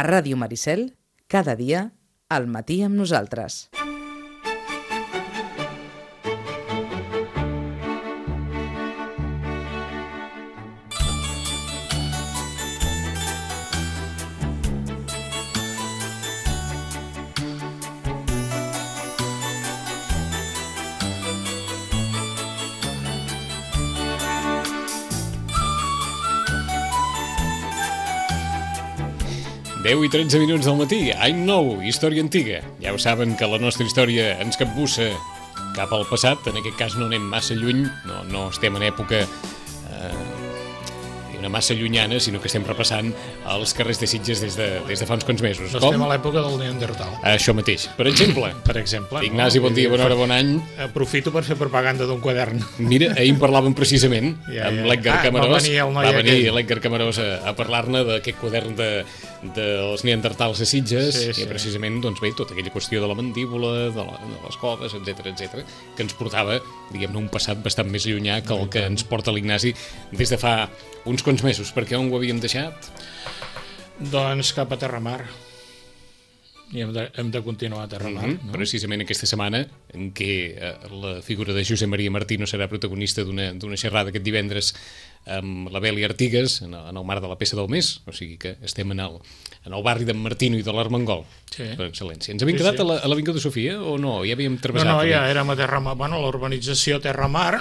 A Ràdio Maricel, cada dia, al matí amb nosaltres. Deu i 13 minuts del matí, any nou, història antiga. Ja ho saben que la nostra història ens capbussa cap al passat, en aquest cas no anem massa lluny, no estem en època massa llunyana, sinó que estem repassant els carrers de Sitges des de fa uns quants mesos. No estem a l'època del Neandertal. Això mateix. Per exemple. Ignasi, bon dia, bona hora, bon any. Aprofito per fer propaganda d'un quadern. Mira, ahir en parlàvem precisament amb l'Edgar Camarós. Va venir l'Edgar Camarós a parlar-ne d'aquest quadern dels Neandertals a Sitges, i precisament, doncs bé, tota aquella qüestió de la mandíbula, de les coves, etc, que ens portava, diguem-ne, un passat bastant més llunyà que el que ens porta l'Ignasi des de fa uns quants mesos. Perquè on ho havíem deixat? Doncs cap a Terramar. I hem de continuar a Terramar. No? Precisament aquesta setmana en què la figura de Josep Maria Martino serà protagonista d'una xerrada aquest divendres amb la Beli Artigas en el marc de la peça del mes, o sigui que estem en el barri d'en Martino i de l'Armengol, per excel·lència. Ens havíem quedat a l'Avinguda de Sofia o no? Ja havíem travessat? No, ja érem a Terramar, a l'urbanització Terramar,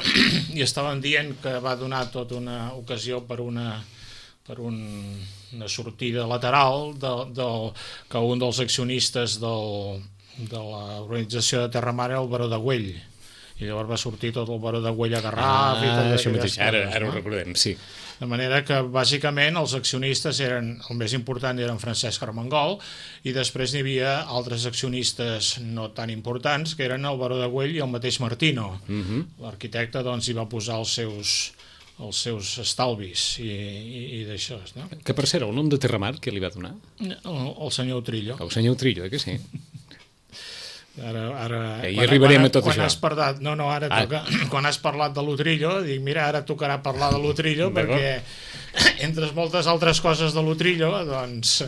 i estaven dient que va donar tota una ocasió per una sortida lateral que un dels accionistes de l'organització de Terramar era el baró de Güell, i llavors va sortir tot el baró de Güell a Garraf i tot això mateix, ara ho recordem, sí. De manera que bàsicament els accionistes el més important eren Francesc Armengol, i després n'hi havia altres accionistes no tan importants, que eren el baró de Güell i el mateix Martino. L'arquitecte doncs hi va posar els seus estalvis i d'això, no? Que per cert, el nom de Terramar, què li va donar? El senyor Utrillo. El senyor Utrillo, que sí? Ara hi arribarem a tot això. Quan has parlat de l'Utrillo, dic, mira, ara tocarà parlar de l'Utrillo, perquè entre moltes altres coses de l'Utrillo, doncs,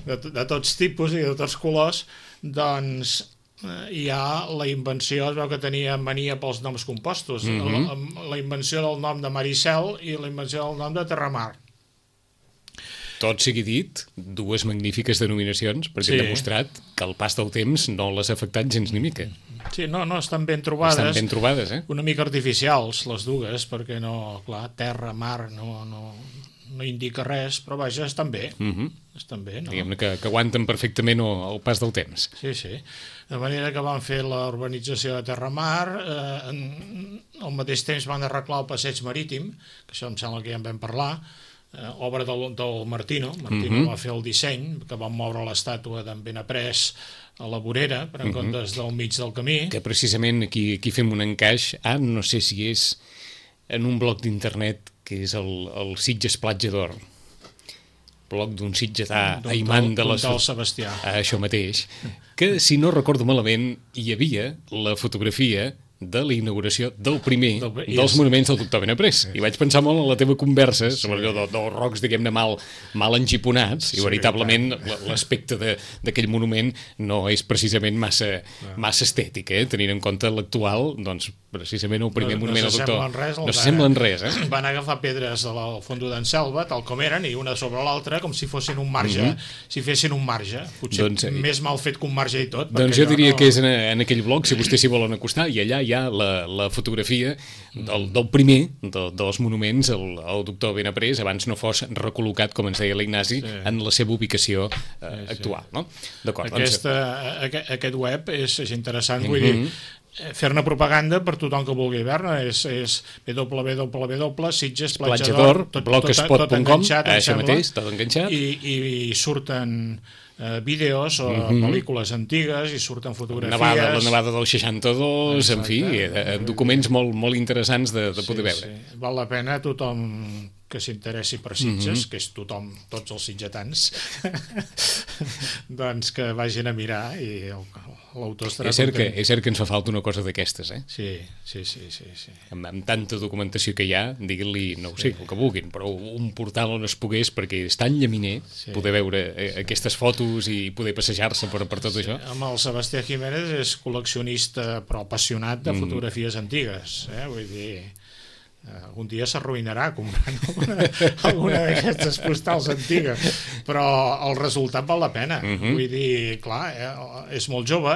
de tots tipus i de tots colors, doncs hi ha la invenció, es veu que tenia mania pels noms compostos, la invenció del nom de Maricel i la invenció del nom de Terramar. Tot sigui dit, dues magnífiques denominacions, perquè han demostrat que el pas del temps no les ha afectat gens ni mica. Sí, no, estan ben trobades. Estan ben trobades, Una mica artificials, les dues, perquè no, clar, terra, mar, no indica res, però vaja, estan bé. Estan bé, no? Diguem-ne que aguanten perfectament el pas del temps. Sí. De manera que van fer la urbanització de Terramar, al mateix temps van arreglar el passeig marítim, que això em sembla que ja en vam parlar, obra del Martino. Martino va fer el disseny, que van moure l'estàtua d'en Benaprés a la vorera, per en comptes del mig del camí. Que precisament aquí fem un encaix, no sé si és en un blog d'internet que és el Sitges Platja d'Or, blog d'un sitgetà aimant de del Sebastià. Això mateix, que si no recordo malament hi havia la fotografia de la inauguració del primer dels monuments del doctor Benaprés. I vaig pensar molt en la teva conversa sobre allò dels rocs, diguem-ne, mal engiponats, i veritablement l'aspecte d'aquell monument no és precisament massa estètic, tenint en compte l'actual, doncs precisament el primer monument del doctor no s'assemblen res. Van agafar pedres del fondo d'en Selva, tal com eren, i una sobre l'altra, com si fossin un marge, si fessin un marge, potser més mal fet que un marge i tot. Doncs jo diria que és en aquell blog, si vostès s'hi volen acostar, i allà hi ha la fotografia del primer dels monuments, el doctor Benaprés, abans no fos recol·locat, com ens deia l'Ignasi, en la seva ubicació actual. D'acord. Aquest web és interessant, vull dir, fer-ne propaganda per tothom que vulgui veure és www.sitgesplatjador.blogspot.com, això mateix, tot enganxat, i surten vídeos o pel·lícules antigues, i surten fotografies, la nevada del 62, en fi, documents molt interessants de poder veure. Val la pena tothom que s'interessi per Sitges, que és tothom, tots els sitgetans, doncs que vagin a mirar i l'autor estarà content. És cert que ens fa falta una cosa d'aquestes, eh? Sí. Amb tanta documentació que hi ha, diguin-li, no ho sé, el que vulguin, però un portal on es pogués, perquè és tan llaminer, poder veure aquestes fotos i poder passejar-se per tot això. Amb el Sebastià Jiménez és col·leccionista però apassionat de fotografies antigues, vull dir, algun dia s'arruïnarà comprant alguna d'aquestes postals antigues, però el resultat val la pena. Vull dir, clar, és molt jove,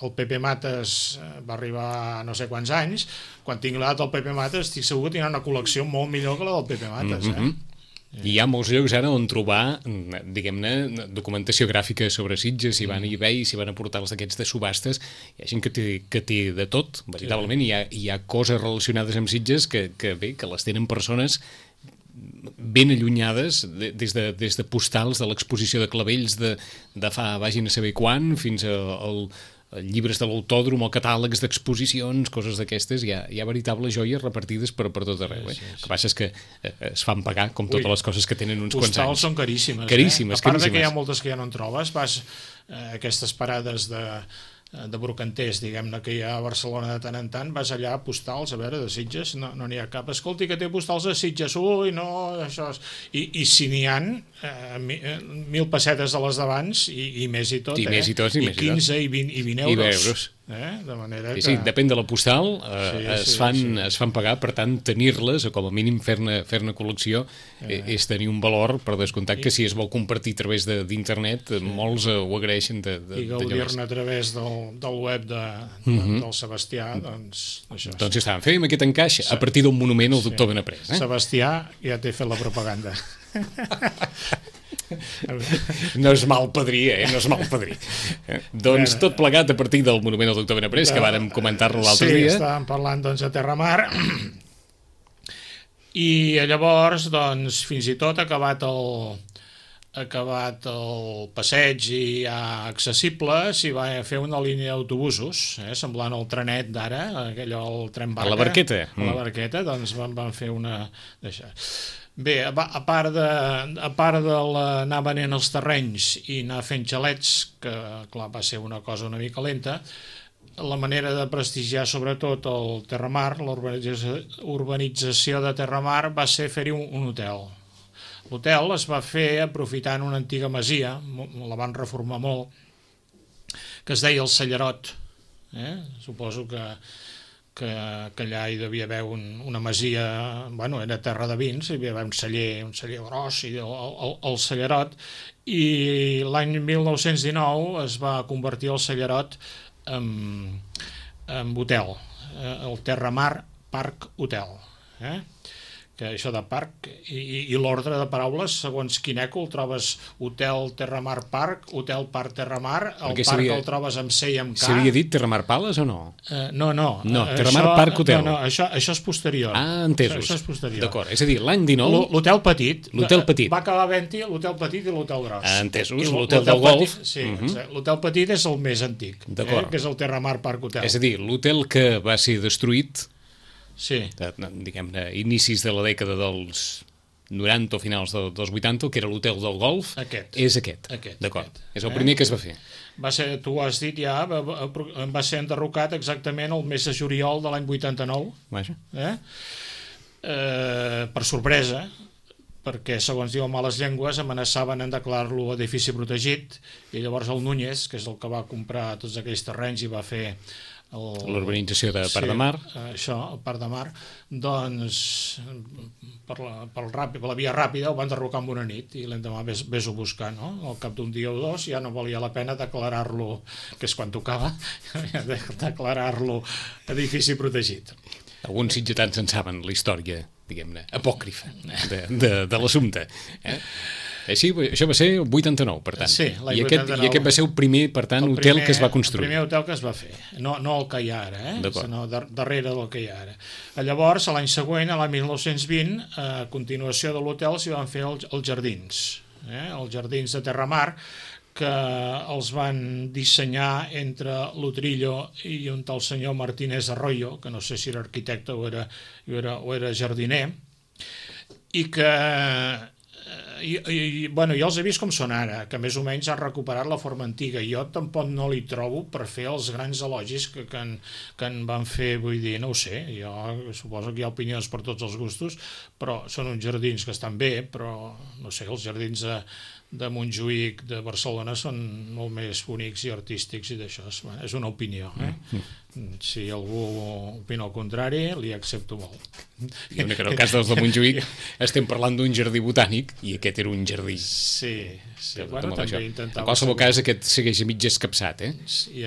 el Pepe Mates va arribar a no sé quants anys, quan tingui l'edat del Pepe Mates estic segur que tindrà una col·lecció molt millor que la del Pepe Mates, Hi ha molts llocs ara on trobar, diguem-ne, documentació gràfica sobre Sitges, si van a eBay, si van a portals d'aquests de subhastes, hi ha gent que té de tot, veritablement, hi ha coses relacionades amb Sitges que les tenen persones ben allunyades des de postals de l'exposició de clavells de fa vagin a saber quan, fins al llibres de l'autòdrom o catàlegs d'exposicions, coses d'aquestes, hi ha veritables joies repartides per tot arreu. El que passa és que es fan pagar, com totes les coses que tenen uns quants anys. Postals són caríssimes. Caríssimes. A part que hi ha moltes que ja no en trobes, vas a aquestes parades de brocanters, diguem-ne, que hi ha a Barcelona de tant en tant, vas allà a postals, a veure, de Sitges, no n'hi ha cap. Escolti, que té postals de Sitges, ui, no, això és... I si n'hi ha 1.000 pessetes de les d'abans, i més i tot, i més i tot, i 15 i 20 euros. De manera que... Sí, depèn de la postal, es fan pagar, per tant, tenir-les, o com a mínim fer-ne col·lecció, és tenir un valor, per descomptat que si es vol compartir a través d'internet, molts ho agraeixen. I gaudir-ne a través del web del Sebastià, doncs això. Doncs ja està, fèiem aquest encaix a partir d'un monument al doctor Benaprés. Sebastià ja t'he fet la propaganda. No és mal padrí, no és mal padrí. Doncs tot plegat a partir del monument al doctor Benaprés, que vàrem comentar-lo l'altre dia. Sí, estàvem parlant doncs, de Terramar, i llavors, doncs, fins i tot acabat el passeig i ja accessible, s'hi va fer una línia d'autobusos, semblant al trenet d'ara, el tren barca. A la barqueta. A la barqueta, doncs van fer una... Bé, a part de anar venent els terrenys i anar fent xalets, que clar, va ser una cosa una mica lenta, la manera de prestigiar sobretot el Terramar, l'urbanització de Terramar, va ser fer-hi un hotel. L'hotel es va fer aprofitant una antiga masia, la van reformar molt, que es deia el Cellerot. Suposo que allà hi devia haver una masia, bueno, era terra de vins, hi havia un celler gros, i el Cellerot, i l'any 1919 es va convertir el Cellerot en hotel, el Terramar Park Hotel, que això de parc i l'ordre de paraules, segons quin èco, el trobes Hotel Terramar Park, Hotel Park Terramar, el parc el trobes amb C i amb K. S'havia dit Terramar Palace o no? No, Terramar Park Hotel. No, això és posterior. Ah, entesos. Això és posterior. D'acord, és a dir, l'any 19... L'hotel petit. L'hotel petit. Va acabar havent-hi l'hotel petit i l'hotel gros. Ah, entesos, l'hotel del golf. Sí, l'hotel petit és el més antic, que és el Terramar Park Hotel. És a dir, l'hotel que va ser destruït... Sí. Diguem-ne, inicis de la dècada dels 90 o finals dels 80, que era l'hotel del golf, és aquest. D'acord, és el primer que es va fer. Va ser, tu ho has dit ja, va ser enderrocat exactament el mes de juliol de l'any 89. Vaja. Per sorpresa, perquè, segons diuen males llengües, amenaçaven en declarar-lo edifici protegit, i llavors el Núñez, que és el que va comprar tots aquells terrenys i va fer l'urbanització de Parc de Mar. Això, el Parc de Mar, doncs per la via ràpida ho van derrocar en una nit i l'endemà ves-ho buscar, no? Al cap d'un dia o dos ja no valia la pena declarar-lo, que és quan tocava, declarar-lo edifici protegit. Alguns sitgetans en saben la història, diguem-ne, apòcrifa de l'assumpte. Així, això va ser el 89, per tant. Sí, l'any 89. I aquest va ser el primer, per tant, hotel que es va construir. El primer hotel que es va fer, no el que hi ha ara, sinó darrere del que hi ha ara. Llavors, l'any següent, l'any 1920, a continuació de l'hotel s'hi van fer els jardins, els jardins de Terramar, que els van dissenyar entre l'Utrillo i un tal senyor Martínez Arroyo, que no sé si era arquitecte o era jardiner, i que bueno, jo els he vist com són ara, que més o menys han recuperat la forma antiga. Jo tampoc no li trobo per fer els grans elogis que en van fer, vull dir, no ho sé, jo suposo que hi ha opinions per tots els gustos, però són uns jardins que estan bé, però no sé, els jardins de Montjuïc, de Barcelona, són molt més bonics i artístics i d'això, és una opinió, Si algú opina el contrari, li accepto molt. I en el cas dels de Montjuïc estem parlant d'un jardí botànic i aquest era un jardí. Sí. Bueno, també intentava... En qualsevol cas, aquest segueix a mig escapçat, sí.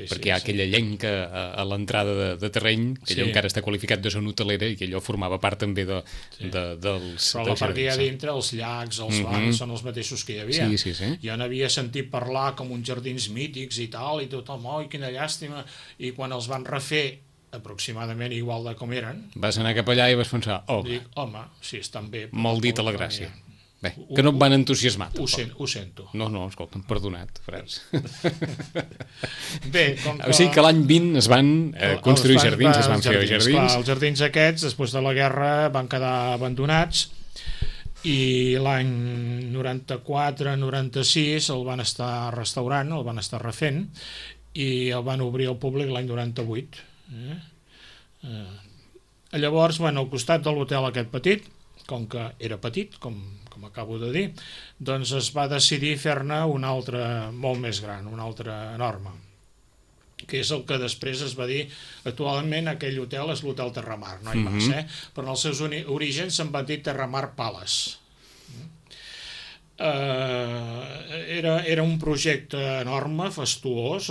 Perquè hi ha aquella llenca a l'entrada de terreny, que allò encara està qualificat de zona hotelera i que allò formava part també dels jardins. Però la part que hi ha dintre, els llacs, els bancs, són els mateixos que hi havia. Sí. Jo n'havia sentit parlar com uns jardins mítics i tal, i tothom, oi, quina llàstima, i quan els van refer aproximadament igual de com eren... Vas anar cap allà i vas pensar, home, sí, estan bé... Molt dit a la gràcia. Bé, que no et van entusiasmar. Ho sento. No, escolta'm, perdonat, freds. Bé, com que... O sigui que l'any 20 es van construir jardins, es van fer jardins. Clar, els jardins aquests, després de la guerra, van quedar abandonats i l'any 94-96 el van estar restaurant, el van estar refent i el van obrir al públic l'any 98. Llavors, al costat de l'hotel aquest petit, com que era petit, com acabo de dir, doncs es va decidir fer-ne un altre molt més gran, un altre enorme, que és el que després es va dir, actualment aquell hotel és l'Hotel Terramar, no hi més, però en els seus orígens se'n va dir Terramar Palace. Era un projecte enorme, fastuós,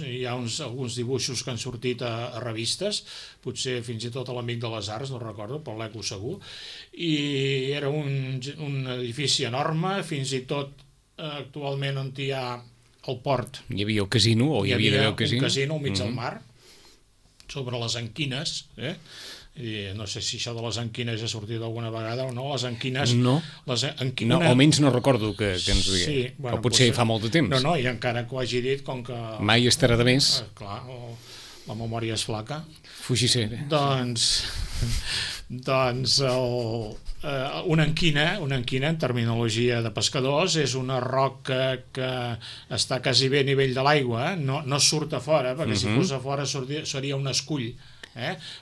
hi ha alguns dibuixos que han sortit a revistes, potser fins i tot a l'Amic de les Arts, no recordo, però l'Eco segur, i era un edifici enorme, fins i tot actualment on hi ha el port. Hi havia el casino, o hi havia d'haver el casino? Un casino al mig del mar, sobre les Anquines, i no sé si això de les Anquines ha sortit alguna vegada o no, les Anquines... No, almenys no recordo que ens ho digués, sí, o potser fa molt de temps. No, i encara que ho hagi dit, com que... Mai estarà de més. Clar, la memòria és flaca. Fugissé. Doncs una anquina en terminologia de pescadors és una roca que està quasi bé a nivell de l'aigua, no surt a fora, perquè si fos a fora seria un escull,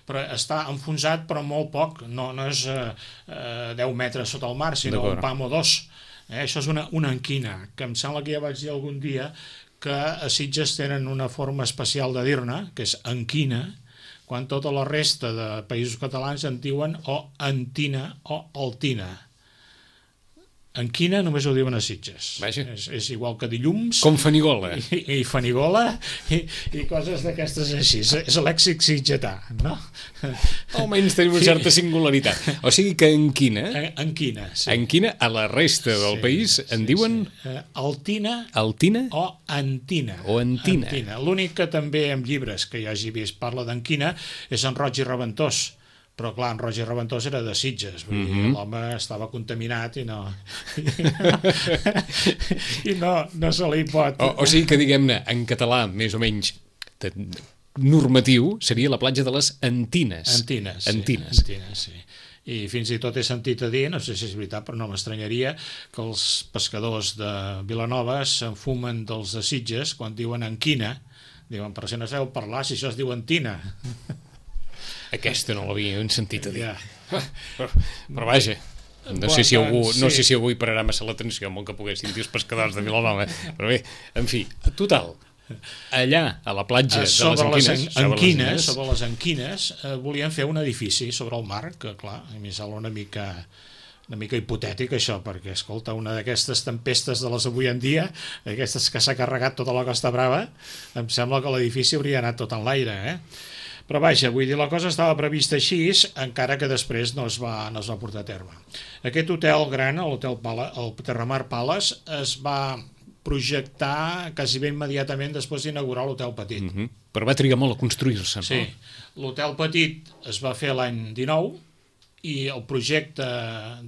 però està enfonsat però molt poc, no és 10 metres sota el mar, sinó un pam o dos. Això és una anquina, que em sembla que ja vaig dir algun dia que a Sitges tenen una forma especial de dir-ne, que és anquina, quan tota la resta de països catalans en diuen o antina o altina. Anquina només ho diuen a Sitges. És igual que dilluns. Com Fanigola. I Fanigola i coses d'aquestes així. És lèxic sitgetà, no? Almenys tenim una certa singularitat. O sigui que anquina... Anquina, sí. Anquina a la resta del país en diuen... Altina. Altina? O antina. O antina. L'únic que també en llibres que jo hagi vist parla d'anquina és en Roig i Reventós. Però clar, en Roger Reventós era de Sitges, vull dir, l'home estava contaminat i no se li pot... O sigui que, diguem-ne, en català, més o menys normatiu, seria la platja de les Antines. Antines, sí. I fins i tot he sentit a dir, no sé si és veritat, però no m'estranyaria, que els pescadors de Vilanova s'enfumen dels de Sitges quan diuen anquina. Diuen, però si no sabeu parlar, si això es diu antina. Aquesta no l'havia sentit a dir. Però vaja, no sé si algú hi pararà massa l'atenció amb el que poguessin dir els pescadors de Vilanova. Però bé, en fi, total, allà a la platja de les Anquines, sobre les Anquines, volien fer un edifici sobre el mar, que clar, a mi sembla una mica hipotètic això, perquè escolta, una d'aquestes tempestes de les avui en dia, aquestes que s'ha carregat tota la Costa Brava, em sembla que l'edifici hauria anat tot en l'aire, Però vaja, vull dir, la cosa estava prevista així, encara que després no es va portar a terme. Aquest hotel gran, el Terramar Palace, es va projectar quasi bé immediatament després d'inaugurar l'hotel petit. Però va trigar molt a construir-se, no? Sí, l'hotel petit es va fer l'any 19 i el projecte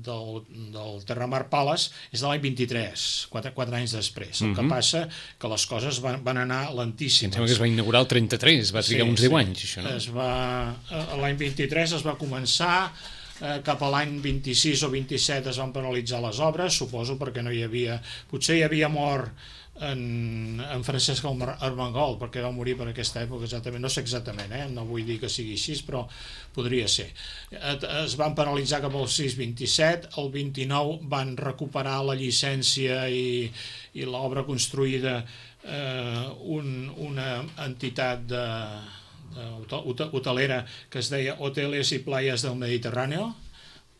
del Terramar Palace és de l'any 23, 4 anys després. El que passa que les coses van anar lentíssimes. Em sembla que es va inaugurar el 33, va trigar uns 10 anys, això, no? L'any 23 es va començar, cap a l'any 26 o 27 es van paralitzar les obres, suposo perquè no hi havia... Potser hi havia mort en Francesc Armengol, perquè va morir per aquesta època exactament, no sé exactament, no vull dir que sigui així, però podria ser. Es van paralitzar cap al 6-27, el 29 van recuperar la llicència i l'obra construïda una entitat hotelera que es deia Hoteles i Playas del Mediterráneo.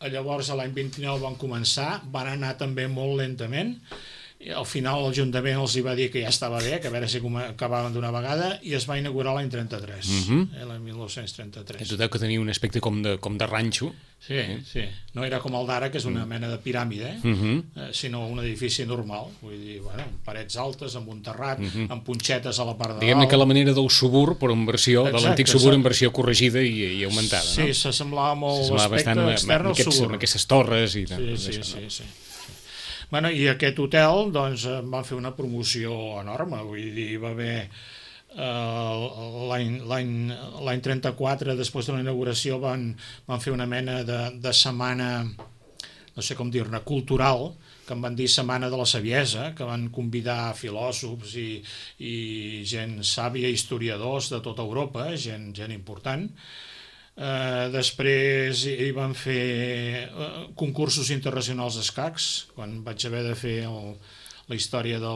Llavors l'any 29 van començar, van anar també molt lentament. Al final l'Ajuntament els va dir que ja estava bé, que a veure si acabaven d'una vegada, i es va inaugurar l'any 33, l'any 1933. Tot que tenia un aspecte com de ranxo. Sí. No era com el d'ara, que és una mena de piràmide, sinó un edifici normal, vull dir, parets altes, amb un terrat, amb punxetes a la part de dalt. Diguem-ne que la manera del subur, però en versió, de l'antic subur en versió corregida i aumentada, no? Sí, s'assemblava molt l'aspecte extern al subur. Amb aquestes torres i tal. Sí. Bueno, i aquest hotel doncs, van fer una promoció enorme, vull dir, va haver l'any 34, després de la inauguració, van fer una mena de setmana, no sé com dir-ne, cultural, que en van dir Setmana de la Saviesa, que van convidar filòsofs i gent sàvia, historiadors de tota Europa, gent important. Després hi van fer concursos internacionals d'escacs, quan vaig haver de fer la història de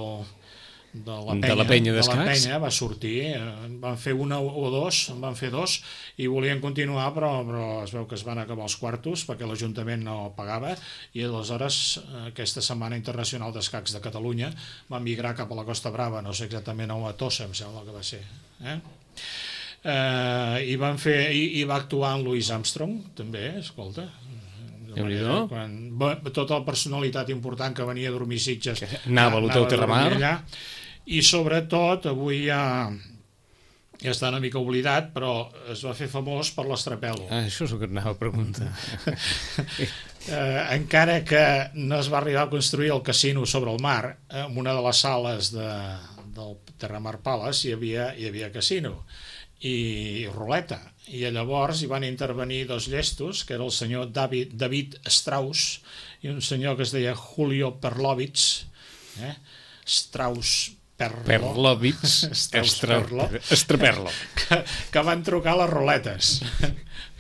la penya d'escacs, va sortir, van fer una o dos, en van fer dos i volien continuar, però es veu que es van acabar els quartos perquè l'Ajuntament no pagava, i aleshores aquesta Setmana Internacional d'Escacs de Catalunya va migrar cap a la Costa Brava, no sé exactament on, a Tossa em sembla que va ser, i va actuar en Louis Armstrong també, escolta, tota la personalitat important que venia a dormir Sitges anava a l'Hotel Terramar allà. I sobretot avui ja està una mica oblidat, però es va fer famós per l'Estrapel·lo. Això és el que anava a preguntar. Encara que no es va arribar a construir el casino sobre el mar, en una de les sales del Terramar Palace hi havia casino i ruleta, i llavors hi van intervenir dos llestos, que era el senyor David Strauss i un senyor que es deia Julio Perlovitz, Strauss Perlovitz Estraperlo, que van trucar les ruletes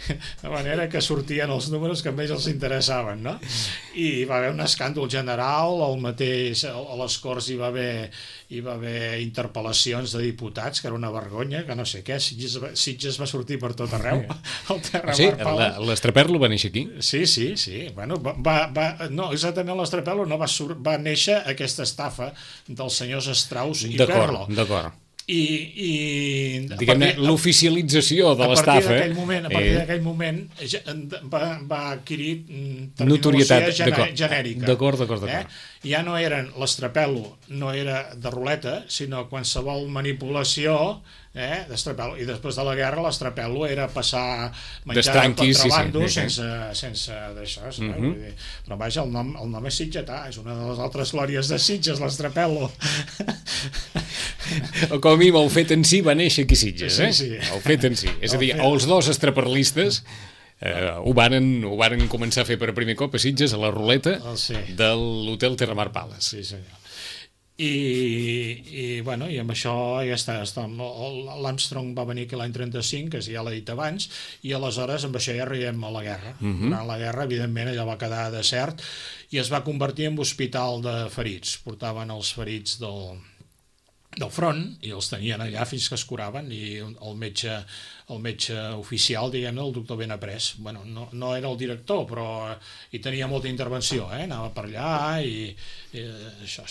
de manera que sortien els números que més els interessaven, no? I hi va haver un escàndol general, a les Corts hi va haver interpel·lacions de diputats, que era una vergonya, que no sé què, Sitges va sortir per tot arreu. L'Estraperlo va néixer aquí? Sí. Bueno, no, exactament l'Estraperlo no va néixer aquesta estafa dels senyors Strauss i Perlo. D'acord. Diguem-ne, l'oficialització de l'estafa a partir d'aquell moment va adquirir terminologia genèrica. D'acord. Ja no eren l'Estrapel·lo, no era de ruleta, sinó qualsevol manipulació d'Estrapel·lo, i després de la guerra l'Estrapel·lo era passar menjar de contrabando sense d'això, però vaja, el nom és sitgetà, és una de les altres glòries de Sitges, l'Estrapel·lo. O com a mínim el fet en si va néixer aquí a Sitges, Sí. El fet en si, és a dir, els dos estraperlistes ho varen començar a fer per primer cop a Sitges, a la ruleta de l'Hotel Terramar Palace. Sí, senyor. I amb això ja està. L'Armstrong va venir aquí l'any 35, que ja l'he dit abans, i aleshores amb això ja arribem a la guerra. Durant la guerra, evidentment, allò va quedar desert i es va convertir en hospital de ferits. Portaven els ferits del front i els tenien allà fins que es curaven, i el metge oficial, diguem-ne, el doctor Benaprés, no era el director, però hi tenia molta intervenció, anava per allà i això.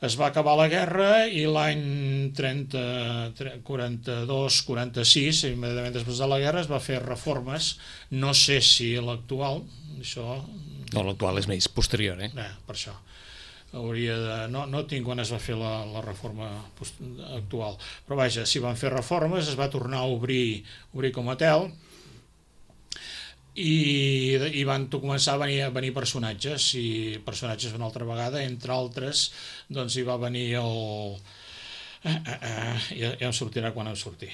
Es va acabar la guerra i l'any 42-46, immediatament després de la guerra, es va fer reformes, no sé si l'actual, això... No, l'actual és més posterior, Per això. No tinc quan es va fer la reforma actual, però vaja, s'hi van fer reformes, es va tornar a obrir com a hotel i van començar a venir personatges una altra vegada, entre altres doncs hi va venir ja em sortirà quan em surti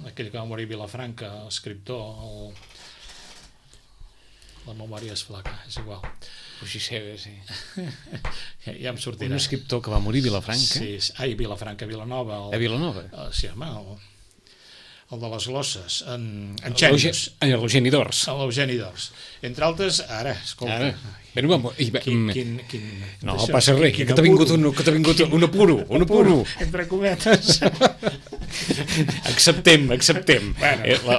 aquell que va morir a Vilafranca, l'escriptor, La memòria és flaca, és igual. Puigiceda, sí. Ja em sortirà. Un escriptor que va morir a Vilafranca. Sí, Vilafranca, Vilanova. A Vilanova? Sí, home, el de les glosses, en Xènius. L'Eugeni d'Ors. L'Eugeni d'Ors. Entre altres, ara, escolta... No, passa res, que t'ha vingut un apuro. Entre cometes. Acceptem. La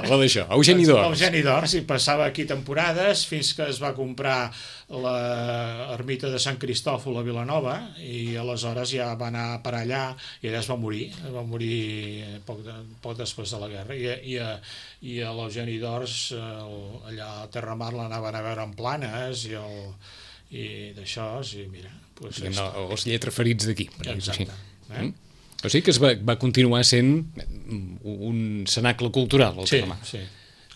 d'això, Eugeni d'Ors. Eugeni d'Ors, i passava aquí temporades fins que es va comprar l'ermita de Sant Cristòfol a Vilanova, i aleshores ja va anar per allà i allà es va morir poc després de la guerra, i a l'Eugeni d'Ors allà a Terramar l'anaven a veure en Planes i d'això, i mira, els lletraferits d'aquí. Exacte. O sigui que es va continuar sent un cenacle cultural al Terramar. Sí.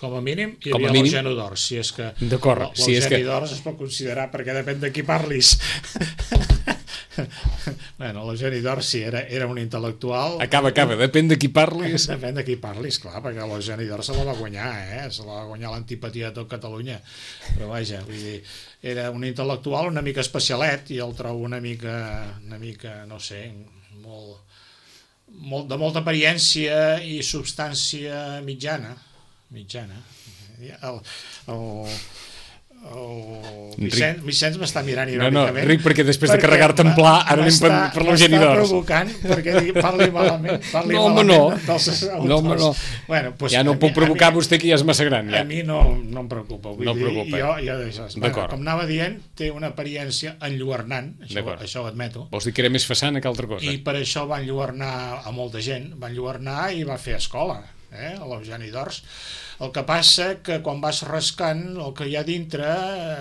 Com a mínim hi havia l'Eugeni d'Ors, si és que l'Eugeni d'Ors es pot considerar, perquè depèn de qui parlis. Bueno, l'Eugeni d'Ors sí, era un intel·lectual. Acaba, depèn de qui parlis. Depèn de qui parlis, clar, perquè l'Eugeni d'Ors se la va guanyar, se la va guanyar l'antipatia de tot Catalunya. Però vaja, vull dir, era un intel·lectual una mica especialet, i el trobo una mica, no sé, de molta apariència i substància mitjana. Vicenç m'està mirant irònicament. No, Ric, perquè després de carregar-te en pla ara anem per l'Eugeni d'Ors. M'està provocant perquè parli malament No, bueno, ja no puc provocar vostè, que ja és massa gran. A mi no em preocupa. Com anava dient, té una apariència enlluernant, això ho admeto. Vols dir que era més façana que altra cosa? I per això va enlluernar a molta gent, va enlluernar i va fer escola, a l'Eugeni d'Ors. El que passa que quan vas rascant el que hi ha dintre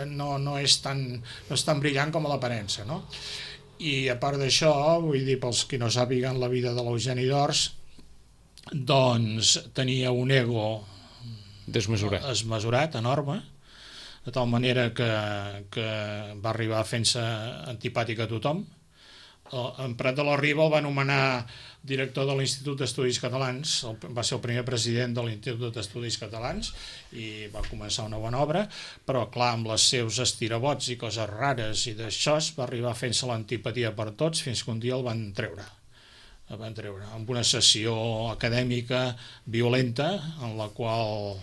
no és tan brillant com a l'aparença, no? I a part d'això, vull dir, pels qui no sàpiguen la vida de l'Eugeni d'Ors, doncs tenia un ego desmesurat, enorme, de tal manera que va arribar fent-se antipàtic a tothom. En Prat de la Riba el va nomenar director de l'Institut d'Estudis Catalans, va ser el primer president de l'Institut d'Estudis Catalans i va començar una bona obra, però clar, amb els seus estirabots i coses rares i d'això va arribar fent-se l'antipatia per tots, fins que un dia el van treure amb una sessió acadèmica violenta, en la qual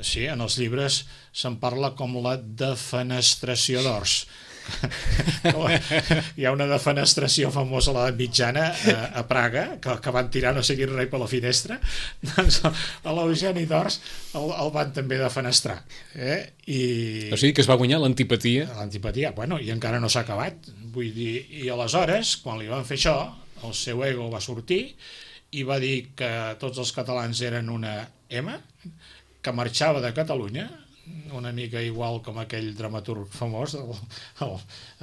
sí, en els llibres se'n parla com la defenestració d'Ors. Hi ha una defenestració famosa a l'edat mitjana a Praga, que van tirar no sé quin rei per la finestra. Doncs a l'Eugeni d'Ors el van també defenestrar, o sigui que es va guanyar l'antipatia, bueno, i encara no s'ha acabat, vull dir, i aleshores quan li van fer això el seu ego va sortir i va dir que tots els catalans eren una M, que marxava de Catalunya, una mica igual com aquell dramaturg famós,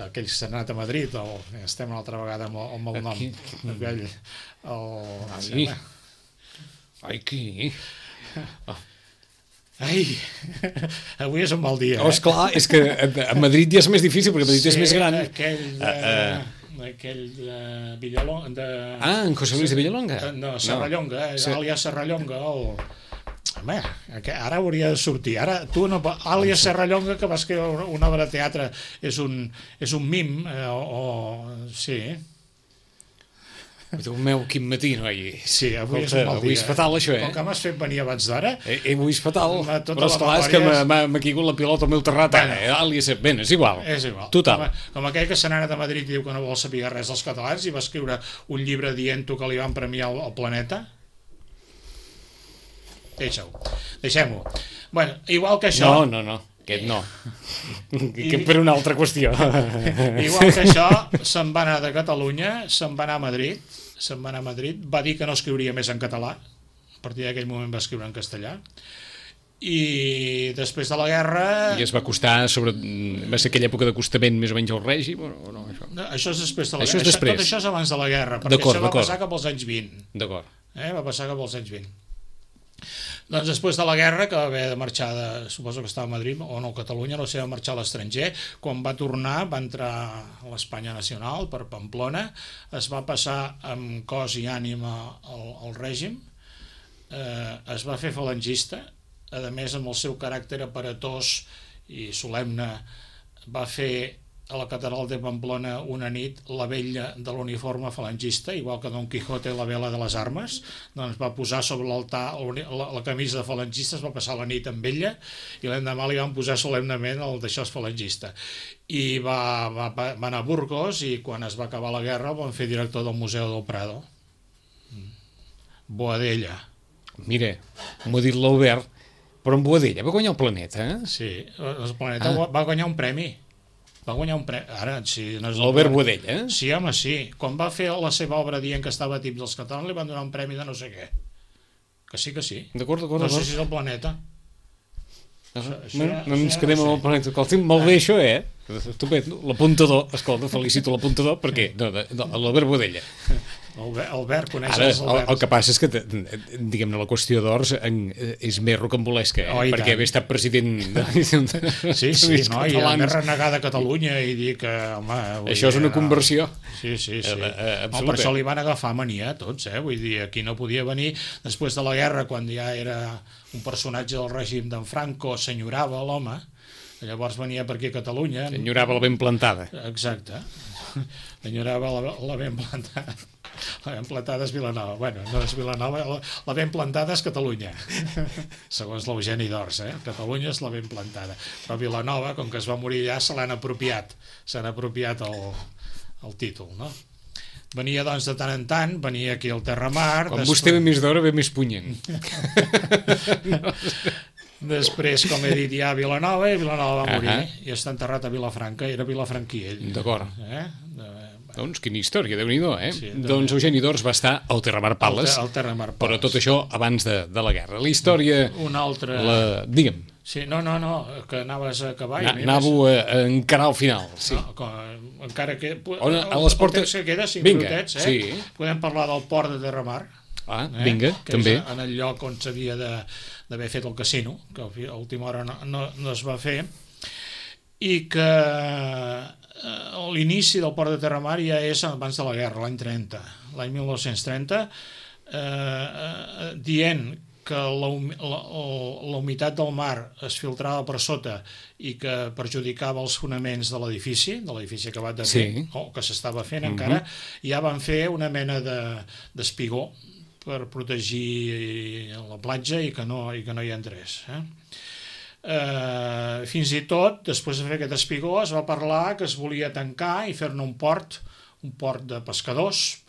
aquell que s'ha anat a Madrid, estem una altra vegada amb el nom, aquell... Ai, avui és un mal dia. Esclar, és que a Madrid ja és més difícil, perquè Madrid és més gran. Aquell de Villalonga... En José Luis de Villalonga? No, Serrallonga, àlies Serrallonga, Home, ara hauria de sortir. Ara, tu, àlies Serrallonga, que va escriure una obra de teatre, és un mim, sí. Déu meu, quin matí, noi. Sí, avui és un mal dia. Avui és fatal, això, Com que m'has fet venir abans d'hora... Avui és fatal, però esclar, és que m'ha caigut la pilota al meu terrat. Bé, és igual. És igual. Total. Com aquell que se n'ha anat a Madrid i diu que no vol saber res dels catalans i va escriure un llibre dient-ho que li van premiar al Planeta. Deixem-ho. Bueno, igual que això... No, aquest no. Que per una altra qüestió. Igual que això, se'n va anar de Catalunya, se'n va anar a Madrid, va dir que no escriuria més en català, a partir d'aquell moment va escriure en castellà, i després de la guerra... I es va acostar va ser aquella època d'acostament més o menys al règim o no? Això és després de la guerra. Tot això és abans de la guerra, perquè això va passar cap als anys 20. D'acord. Va passar cap als anys 20. Doncs després de la guerra, que va haver de marxar, suposo que estava a Madrid o no a Catalunya, no sé, va marxar a l'estranger, quan va tornar va entrar a l'Espanya Nacional per Pamplona, es va passar amb cos i ànima al règim, es va fer falangista, a més amb el seu caràcter aparatós i solemne va fer a la catedral de Pamplona una nit la vella de l'uniforme falangista, igual que Don Quijote la vela de les armes, doncs va posar sobre l'altar la camisa de falangista, es va passar la nit amb ella i l'endemà li van posar solemnement el d'això falangista. I va anar a Burgos i quan es va acabar la guerra el van fer director del Museu del Prado. Boadella. Mira, m'ho ha dit l'Albert, però en Boadella va guanyar el Planeta, eh? Sí, el Planeta va guanyar un premi. Va guanyar un premi. Ara, si no és l'Albert Boadella, eh? Sí, home, sí. Quan va fer la seva obra dient que estava a tips dels catalans, li van donar un premi de no sé què. Que sí, que sí. D'acord. No sé si és el Planeta. No ens quedem amb el Planeta. Escolta, molt bé això, eh? L'apuntador, escolta, felicito l'apuntador, perquè l'Albert Boadella. Albert, coneixes Albert? El que passa és que, diguem-ne, la qüestió d'Ors és més rocambolesca, perquè haver estat president sí, no, i haver renegat a Catalunya i dir que, home... Això és una conversió. Sí. Per això li van agafar mania a tots, vull dir, aquí no podia venir després de la guerra, quan ja era un personatge del règim d'en Franco, s'enyorava l'home, llavors venia per aquí a Catalunya... S'enyorava la ben plantada. Exacte. S'enyorava la ben plantada. La ben plantada és Vilanova. Bueno, no és Vilanova, la ben plantada és Catalunya. Segons l'Eugeni d'Ors, Catalunya és la ben plantada. Però Vilanova, com que es va morir allà, se l'han apropiat. S'han apropiat el títol, no? Venia, doncs, de tant en tant, venia aquí al Terramar... Quan vostè ve més d'hora, ve més punyent. Després, com he dit, hi ha Vilanova, i Vilanova va morir, i està enterrat a Vilafranca, era vilafranquí ell. D'acord. Doncs quina història, Déu-n'hi-do, Sí, doncs Eugeni d'Ors va estar al Terramar Palace, però tot això abans de la guerra. La història... Una altra... Digue'm. Sí, no, que anaves a acabar... Anàveu a encarar al final, sí. Encara que... A les portes... Que queda 5 minutets, sí. Podem parlar del port de Terramar. Vinga, també. En el lloc on s'havia d'haver fet el casino, que a última hora no es va fer, i que l'inici del port de Terramar ja és abans de la guerra, l'any 30, l'any 1930, dient que la humitat del mar es filtrava per sota i que perjudicava els fonaments de l'edifici acabat de fer, o que s'estava fent encara, ja van fer una mena d'espigó per protegir la platja i que no hi entrés. Fins i tot, després de fer aquest espigó, es va parlar que es volia tancar i fer-ne un port de pescadors,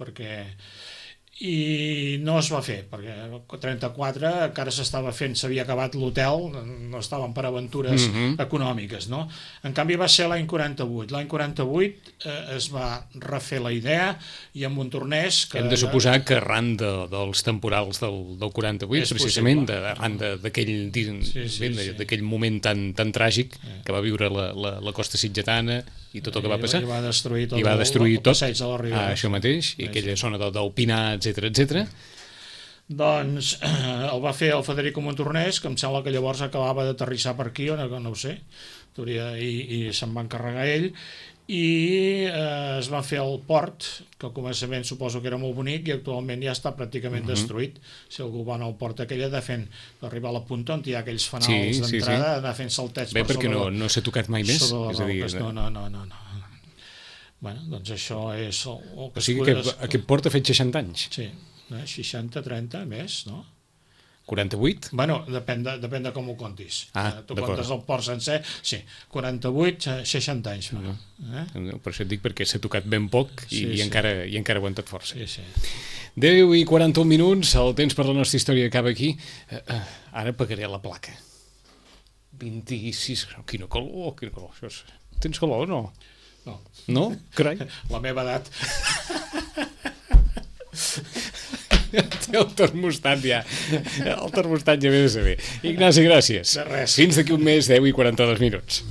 i no es va fer, perquè el 34 encara s'estava fent, s'havia acabat l'hotel, no estaven per aventures econòmiques, no? En canvi va ser l'any 48. L'any 48 es va refer la idea i en Montornès... Hem de suposar que arran dels temporals del 48, precisament, arran d'aquell moment tan tràgic que va viure la costa sitgetana i tot el que va passar. I va destruir tot el passeig de la Ribera. Això mateix, i aquella zona del Pinar, etc. Doncs el va fer el Federico Montornès, que em sembla que llavors acabava d'aterrissar per aquí, o no ho sé, i se'n va encarregar ell, i es va fer el port, que al començament suposo que era molt bonic, i actualment ja està pràcticament destruït. Si algú va anar al port aquell, d'arribar a la punta on hi ha aquells fanals d'entrada, anar fent saltets per sobre... Bé, perquè no s'ha tocat mai més? No. Bueno, doncs això és el que... O sigui que aquest port ha fet 60 anys? Sí, 60, 30, més, no? 48? Bueno, depèn de com ho comptis. Tu comptes el port sencer, sí, 48, 60 anys. Per això et dic perquè s'ha tocat ben poc i encara ha aguantat força. 10 i 41 minuts, el temps per la nostra història acaba aquí. Ara pagaré la placa. 26, quina calor. Tens calor o no? No. No? Carai. La meva edat. Té el termostat ja. El termostat ja ve de saber. Ignasi, gràcies. De res. Fins d'aquí un mes, 10 i 42 minuts.